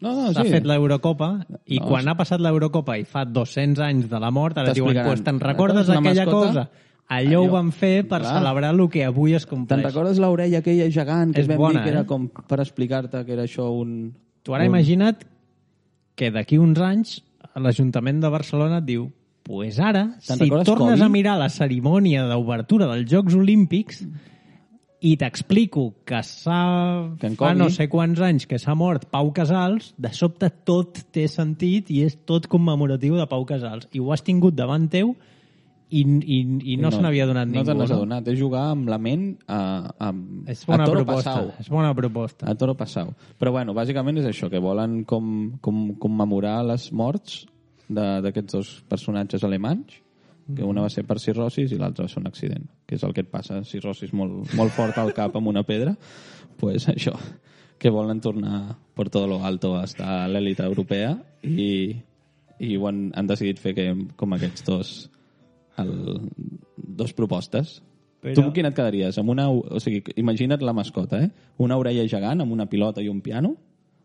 Speaker 2: S'ha fet l'Eurocopa i quan ha passat l'Eurocopa i fa 200 anys de la mort, ara diuen, pues, te'n recordes aquella cosa? Allò ho van fer per celebrar el que avui es compleix.
Speaker 3: Te'n recordes l'orella aquella gegant que vam dir que era com per explicar-te que era això un...
Speaker 2: Tu ara imagina't que d'aquí uns anys l'Ajuntament de Barcelona et diu pues ara, si tornes a mirar la cerimònia d'obertura dels Jocs Olímpics i t'explico que fa no sé quants anys que s'ha mort Pau Casals, de sobte tot té sentit i és tot commemoratiu de Pau Casals. I ho has tingut davant teu i no se n'havia donat ningú.
Speaker 3: No te n'has adonat, és jugar amb la ment a toro passau.
Speaker 2: És bona proposta.
Speaker 3: A toro passau. Però bueno, bàsicament és això, que volen commemorar les morts d'aquests dos personatges alemanys, que una va ser per cirrosis i l'altra va ser un accident, que és el que et passa, cirrosis molt fort al cap amb una pedra, pues això, que volen tornar per tot lo alto a estar a l'èlita europea i han decidit fer com aquests dos propostes. Però... Tu quina et quedaries? O sigui, imagina't la mascota, una orella gegant amb una pilota i un piano,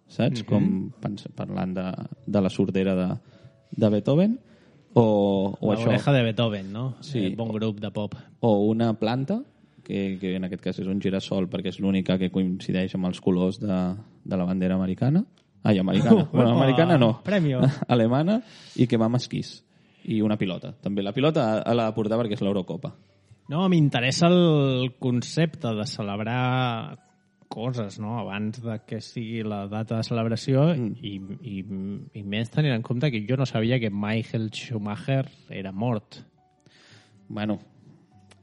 Speaker 3: saps? Com parlant de la sordera de Beethoven, o això.
Speaker 2: L'oreja de Beethoven, no?
Speaker 3: Sí.
Speaker 2: Bon grup de pop.
Speaker 3: O una planta, que en aquest cas és un girassol, perquè és l'única que coincideix amb els colors de la bandera americana. Ai, americana. Bueno, americana no.
Speaker 2: Premio.
Speaker 3: Alemana, i que va amb esquís. I una pilota. També la pilota l'ha de portar perquè és l'Eurocopa.
Speaker 2: No, m'interessa el concepte de celebrar coses, no?, abans de que sigui la data de celebració i més tenint en compte que jo no sabia que Michael Schumacher era mort.
Speaker 3: Bueno,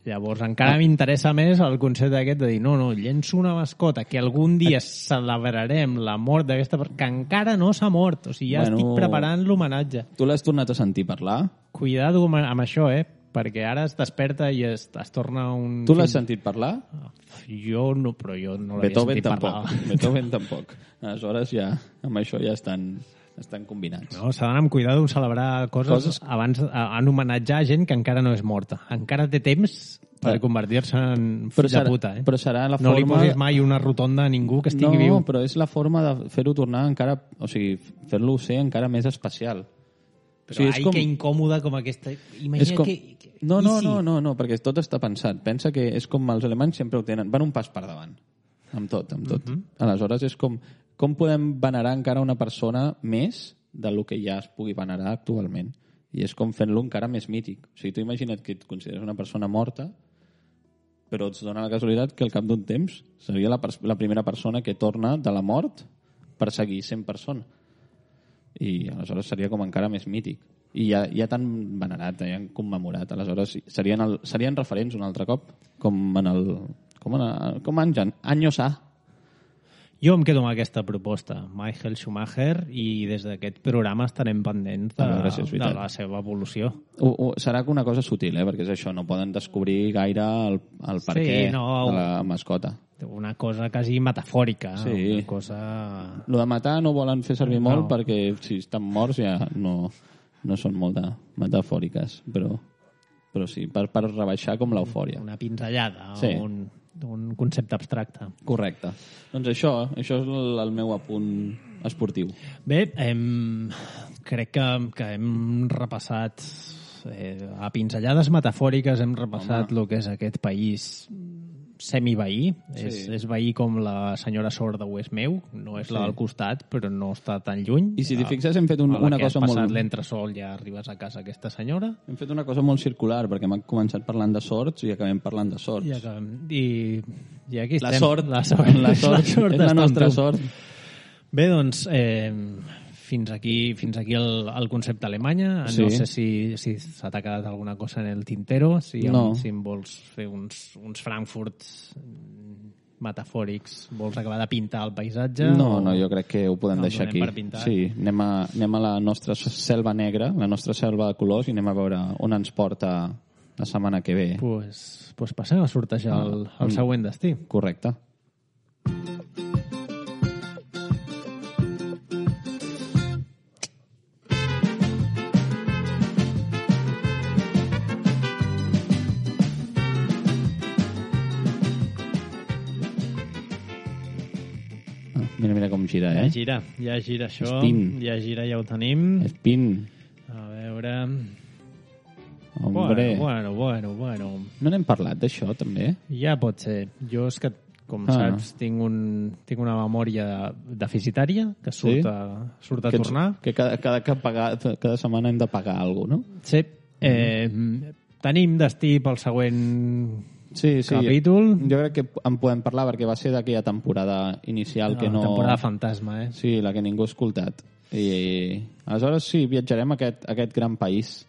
Speaker 2: Llavors encara m'interessa més el concepte aquest de dir no, llenço una mascota que algun dia celebrarem la mort d'aquesta persona que encara no s'ha mort, o sigui, ja estic preparant l'homenatge.
Speaker 3: tu l'has tornat a sentir parlar?
Speaker 2: Cuidado amb això, perquè ara es desperta i es torna un...
Speaker 3: Tu l'has sentit parlar?
Speaker 2: Jo no, però jo no l'havia sentit parlar.
Speaker 3: Beethoven tampoc. Aleshores ja, amb això ja estan combinats.
Speaker 2: No, s'ha d'anar amb cuidado en celebrar coses abans, en homenatjar gent que encara no és morta. Encara té temps per convertir-se en fill de puta.
Speaker 3: Però serà la
Speaker 2: forma... No li posis mai una rotonda a ningú que estigui viu.
Speaker 3: No, però és la forma de fer-ho tornar encara... O sigui, fer-lo ser encara més especial.
Speaker 2: Però que incòmode com aquesta... Imagina que...
Speaker 3: No, perquè tot està pensat. Pensa que és com els alemanys sempre ho tenen. Van un pas per davant. Amb tot. Aleshores és com podem venerar encara una persona més del que ja es pugui venerar actualment. I és com fent-lo encara més mític. O sigui, tu imagina't que et consideres una persona morta, però et dona la casualitat que al cap d'un temps seria la primera persona que torna de la mort per seguir sent persona. I aleshores seria com encara més mític. I ja t'han venerat, ja han commemorat. Aleshores serien referents un altre cop, com en Anyos A.
Speaker 2: Jo em quedo amb aquesta proposta, Michael Schumacher, i des d'aquest programa estarem pendents de la seva evolució.
Speaker 3: Serà una cosa sutil, perquè és això, no poden descobrir gaire el perquè de la mascota.
Speaker 2: Una cosa quasi metafòrica.
Speaker 3: Sí.
Speaker 2: Una cosa...
Speaker 3: Lo de matar no volen fer servir molt perquè si estan morts ja no són molt metafòriques, però sí, per rebaixar com l'eufòria.
Speaker 2: Una pinzellada,
Speaker 3: sí.
Speaker 2: Un concepte abstracte.
Speaker 3: Correcte. Doncs això és el meu apunt esportiu.
Speaker 2: Bé, crec que hem repassat a pinzellades metafòriques, hem repassat el que és aquest país semiveí. Sí. És veí com la senyora sorda ho és meu, no és la del costat, però no està tan lluny.
Speaker 3: I si t'hi fixes, hem fet una cosa molt...
Speaker 2: Que has passat l'entresol ja arribes a casa aquesta senyora.
Speaker 3: Hem fet una cosa molt circular, perquè hem començat parlant de sords i acabem parlant de sords.
Speaker 2: I aquí estem.
Speaker 3: La sort és la nostra sort.
Speaker 2: Bé, doncs... Fins aquí el concepte Alemanya. No sé si s'ha quedat alguna cosa en el tintero, si em vols fer uns Frankfurts metafòrics, vols acabar de pintar el paisatge?
Speaker 3: No, jo crec que ho podem deixar aquí. Sí, anem a la nostra selva negra, la nostra selva de colors, i anem a veure on ens porta la setmana que ve.
Speaker 2: Pues passem a sortejar el següent destí.
Speaker 3: Correcte. Mira com gira,
Speaker 2: Ja gira això.
Speaker 3: Spin.
Speaker 2: Ja gira, ja ho tenim.
Speaker 3: Spin.
Speaker 2: A veure...
Speaker 3: Hombre.
Speaker 2: Bueno.
Speaker 3: No n'hem parlat d'això, també?
Speaker 2: Ja pot ser. Jo és que, com saps, tinc una memòria deficitària que surt a tornar.
Speaker 3: Que cada setmana hem de pagar alguna cosa, no?
Speaker 2: Sí. Tenim destí pel següent... capítol.
Speaker 3: Jo crec que en podem parlar perquè va ser d'aquella temporada inicial que no...
Speaker 2: Temporada fantasma,
Speaker 3: Sí, la que ningú ha escoltat. I aleshores sí, viatjarem a aquest gran país.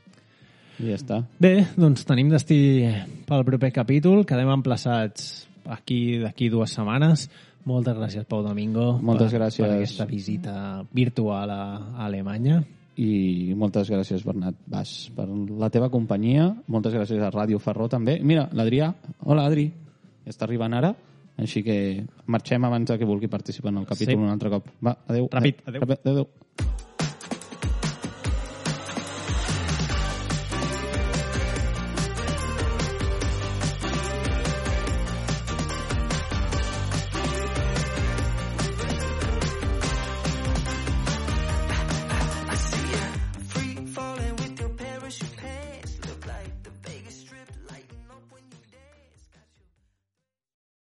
Speaker 3: I ja està.
Speaker 2: Bé, doncs tenim destí pel proper capítol. Quedem emplaçats d'aquí 2 setmanes. Moltes gràcies, Pau Domingo.
Speaker 3: Moltes gràcies.
Speaker 2: Per aquesta visita virtual a Alemanya.
Speaker 3: I moltes gràcies, Bernat Bas, per la teva companyia. Moltes gràcies a Ràdio Ferró, també. Mira, l'Adrià. Hola, Adri. Ja està arribant ara, així que marxem abans que vulgui participar en el capítol un altre cop. Va, adéu.
Speaker 2: Ràpid, adéu.
Speaker 3: Adéu.